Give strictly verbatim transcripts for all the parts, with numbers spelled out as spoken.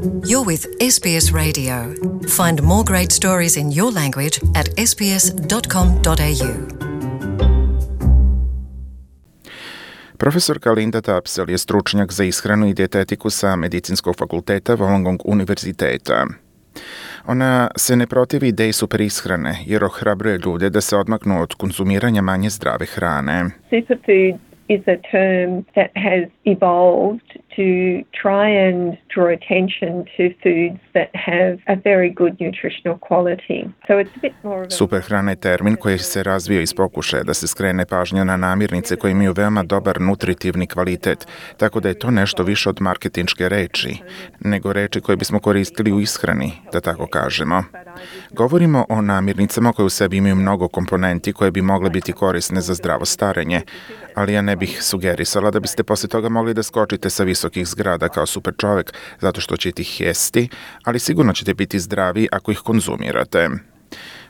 You're with S B S Radio. Find more great stories in your language at s b s dot com dot a u. Profesorka Linda Tapsell je stručnjak za ishranu i dijetetiku sa Medicinskog fakulteta Wollongong univerziteta. Ona se ne protivi ideji superishrane jer ohrabruje ljude da se odmaknu od konzumiranja manje zdrave hrane. Superfood is a term that has evolved to try and draw attention to foods that have a very good nutritional quality. So it's a bit more of a... Superhrana je termin koji se razvio iz pokušaja da se skrene pažnja na namirnice koje imaju veoma dobar nutritivni kvalitet, tako da je to nešto više od marketinške reči, nego reči koje bismo koristili u ishrani, da tako kažemo. Govorimo o namirnicama koje u sebi imaju mnogo komponenti koje bi mogle biti korisne za zdravo starenje, ali ja ne bih sugerisala da biste poslije toga mogli da skočite sa visokih zgrada kao super čovjek zato što ćete ih jesti, ali sigurno ćete biti zdravi ako ih konzumirate.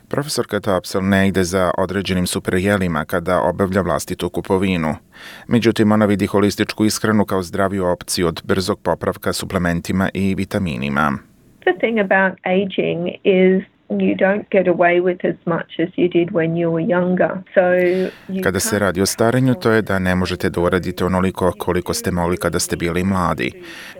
Profesorka Tapsell ne ide za određenim superjelima kada obavlja vlastitu kupovinu. Međutim, ona vidi holističku ishranu kao zdraviju opciju od brzog popravka suplementima i vitaminima. The thing about aging is you don't get away with as much as you did when you were younger. So you Kada se radi o starenju, to je da ne možete da uradite onoliko koliko ste mogli kada ste bili mladi.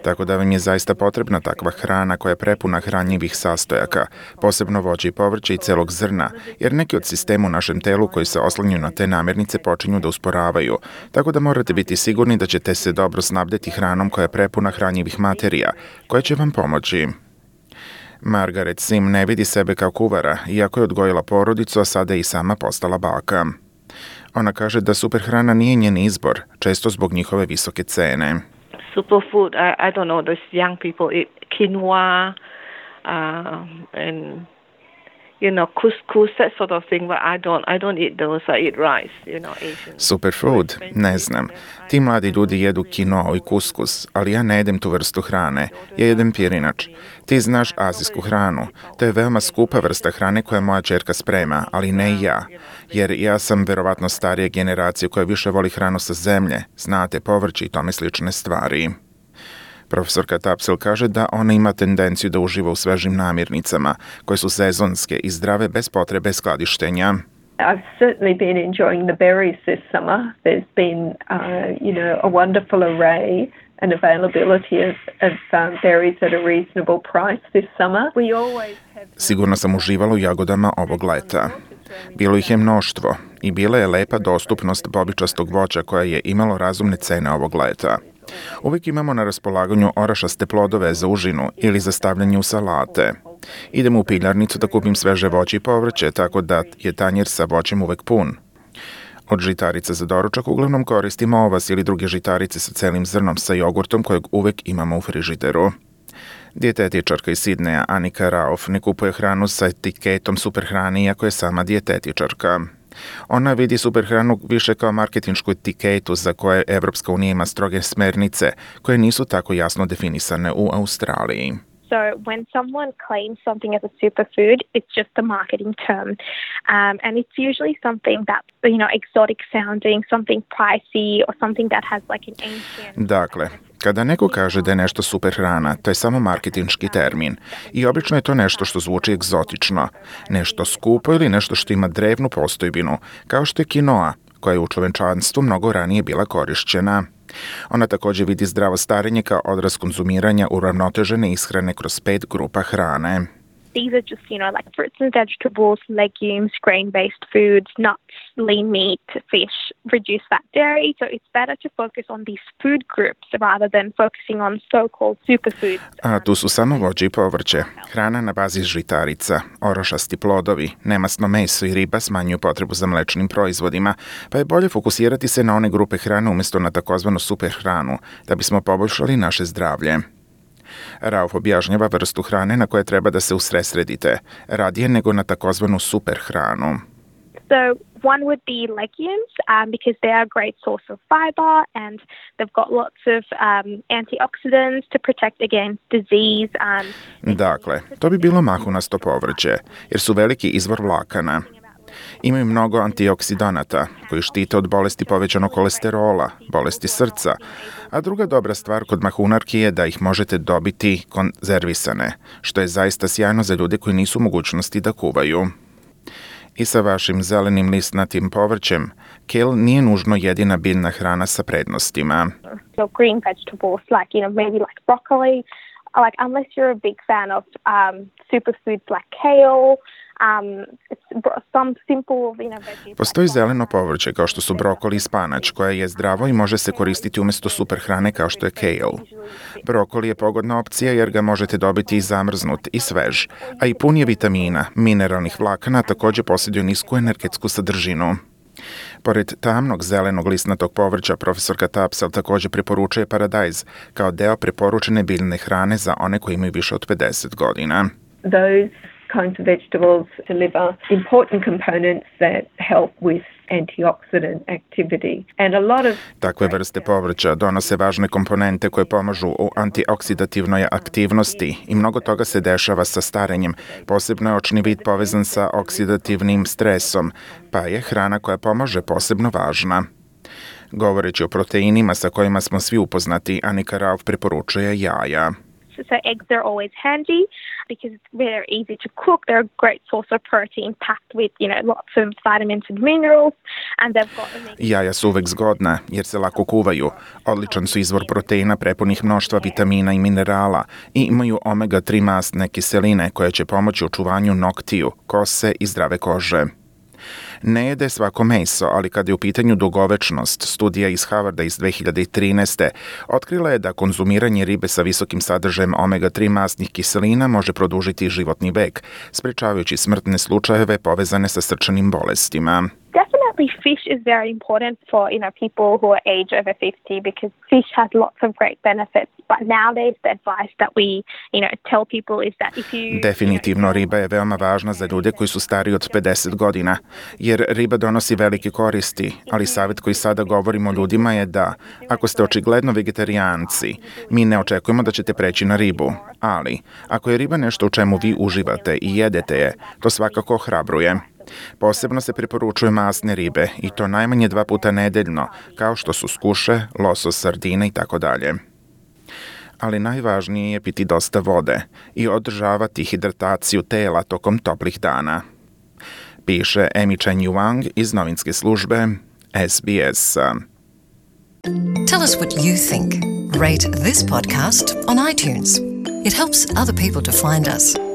Tako da vam je zaista potrebna takva hrana koja je prepuna hranjivih sastojaka, posebno voće i povrće i celog zrna, jer neki od sistema u našem telu koji se oslanjaju na te namirnice počinju da usporavaju. Tako da morate biti sigurni da ćete se dobro snabdeti hranom koja je prepuna hranjivih materija, koja će vam pomoći. Margaret Sim ne vidi sebe kao kuvara, iako je odgojila porodicu, a sada je i sama postala baka. Ona kaže da superhrana nije njen izbor, često zbog njihove visoke cene. Superfood, I, I don't know, those young people eat quinoa um, and you know, couscous, that sort of thing, but I don't, I don't eat those, I eat rice, you know, Asian. Superfood, ne znam. Ti mladi ljudi jedu kinoa i kuskus, ali ja ne jedem tu vrstu hrane, ja jedem pirinač. Ti znaš azijsku hranu, to je veoma skupa vrsta hrane koja moja ćerka sprema, ali ne i ja, jer ja sam verovatno starije generacije koja više voli hranu sa zemlje, znate, povrće i tome slične stvari. Profesorka Tapsell kaže da ona ima tendenciju da uživa u svežim namirnicama, koje su sezonske i zdrave bez potrebe skladištenja. I've certainly been enjoying the berries this summer. There's been, uh, you know, a wonderful array and availability of, of um, berries at a reasonable price this summer. We always have... Sigurno sam uživala u jagodama ovog leta. Bilo ih je mnoštvo i bila je lepa dostupnost bobičastog voća koja je imalo razumne cene ovog leta. Uvijek imamo na raspolaganju orašaste plodove za užinu ili za stavljanje u salate. Idem u piljarnicu da kupim sveže voće i povrće, tako da je tanjer sa voćem uvijek pun. Od žitarica za doručak uglavnom koristimo ovas ili druge žitarice sa celim zrnom sa jogurtom kojeg uvijek imamo u frižideru. Dijetetičarka iz Sidneja Anika Rauf ne kupuje hranu sa etiketom superhrane iako je sama dijetetičarka. Ona vidi superhranu više kao marketinšku etiketu za koje Evropska unija ima stroge smernice koje nisu tako jasno definisane u Australiji. So when someone claims something as a superfood, it's just a marketing term. Um, and it's usually something that's, you know, exotic sounding, something pricey or something that has like an ancient... Dakle, kada neko kaže da je nešto superhrana, to je samo marketinški termin. I obično je to nešto što zvuči egzotično, nešto skupo ili nešto što ima drevnu postojbinu, kao što je kinoa, koja je u čovečanstvu mnogo ranije bila korišćena. Ona također vidi zdravo starenje kao odraz konzumiranja uravnotežene ishrane kroz pet grupa hrane. These are just, you know, like fruits and vegetables, legumes, grain-based foods, nuts, lean meat, fish, reduced fat dairy. So it's better to focus on these food groups rather than focusing on so-called superfoods. A tu su samo voće i povrće, hrana na bazi žitarica, orošasti plodovi, nemasno meso i riba smanjuju potrebu za mlečnim proizvodima, pa je bolje fokusirati se na one grupe hrane umjesto na takozvanu superhranu, da bismo poboljšali naše zdravlje. Rauf objašnjava vrstu hrane na koje treba da se usredsredite, radije nego na takozvanu super hranu. So one would be legumes um, because they are a great source of fiber and they've got lots of um, antioxidants to protect against disease. Um, dakle, to bi bilo mahunasto povrće, jer su veliki izvor vlakana. Imaju mnogo antioksidanata koji štite od bolesti povećanog kolesterola, bolesti srca, a druga dobra stvar kod mahunarki je da ih možete dobiti konzervisane, što je zaista sjajno za ljude koji nisu u mogućnosti da kuvaju. I sa vašim zelenim listnatim povrćem, kale nije nužno jedina biljna hrana sa prednostima. So green vegetables, like, you know, maybe like broccoli, like unless you're a big fan of um, superfoods like kale, um, it's some simple, you know, veggies. Postoji zeleno povrće kao što su brokoli i spanač, koje je zdravo i može se koristiti umjesto super hrane kao što je kale. Brokoli je pogodna opcija jer ga možete dobiti i zamrznut i svež, a i pun je vitamina, mineralnih vlakana, također posjeduje nisku energetsku sadržinu. Pored tamnog zelenog listnatog povrća, profesorka Tapsell također preporučuje paradajz kao deo preporučene biljne hrane za one koji imaju više od pedeset godina. Those kinds of vegetables deliver important components that help with antioxidant activity. And a lot of Takve vrste povrća donose važne komponente koje pomažu u antioksidativnoj aktivnosti i mnogo toga se dešava sa starenjem. Posebno je očni vid povezan sa oksidativnim stresom, pa je hrana koja pomaže posebno važna. Govoreći o proteinima sa kojima smo svi upoznati, Anika Rauf preporučuje jaja. So eggs are always handy because they're easy to cook. They're a great source of protein packed with, you know, lots of vitamins and minerals, and they've got Jaja su uvek zgodna jer se lako kuvaju. Odličan su izvor proteina prepunih mnoštva vitamina i minerala i imaju omega tri masne kiseline koje će pomoći u čuvanju noktiju, kose i zdrave kože. Ne jede svako meso, ali kada je u pitanju dugovečnost, studija iz Harvarda iz dve hiljade trinaeste otkrila je da konzumiranje ribe sa visokim sadržajem omega tri masnih kiselina može produžiti životni vek, sprečavajući smrtne slučajeve povezane sa srčanim bolestima. Definitely fish is very important for, you know, people who are age over fifty because fish has lots of great benefits. But nowadays the advice that we, you know, tell people is that if you... Definitivno riba je veoma važna za ljude koji su stariji od pedeset godina, jer riba donosi velike koristi, ali savjet koji sada govorimo ljudima je da, ako ste očigledno vegetarijanci, mi ne očekujemo da ćete preći na ribu, ali ako je riba nešto u čemu vi uživate i jedete je, to svakako ohrabruje. Posebno se preporučuju masne ribe i to najmanje dva puta nedeljno, kao što su skuše, losos, sardine i tako dalje. Ali najvažnije je piti dosta vode i održavati hidrataciju tela tokom toplih dana. Piše Amy Chen Yuang iz novinske službe S B S. Tell us what you think. Rate this podcast on iTunes. It helps other people to find us.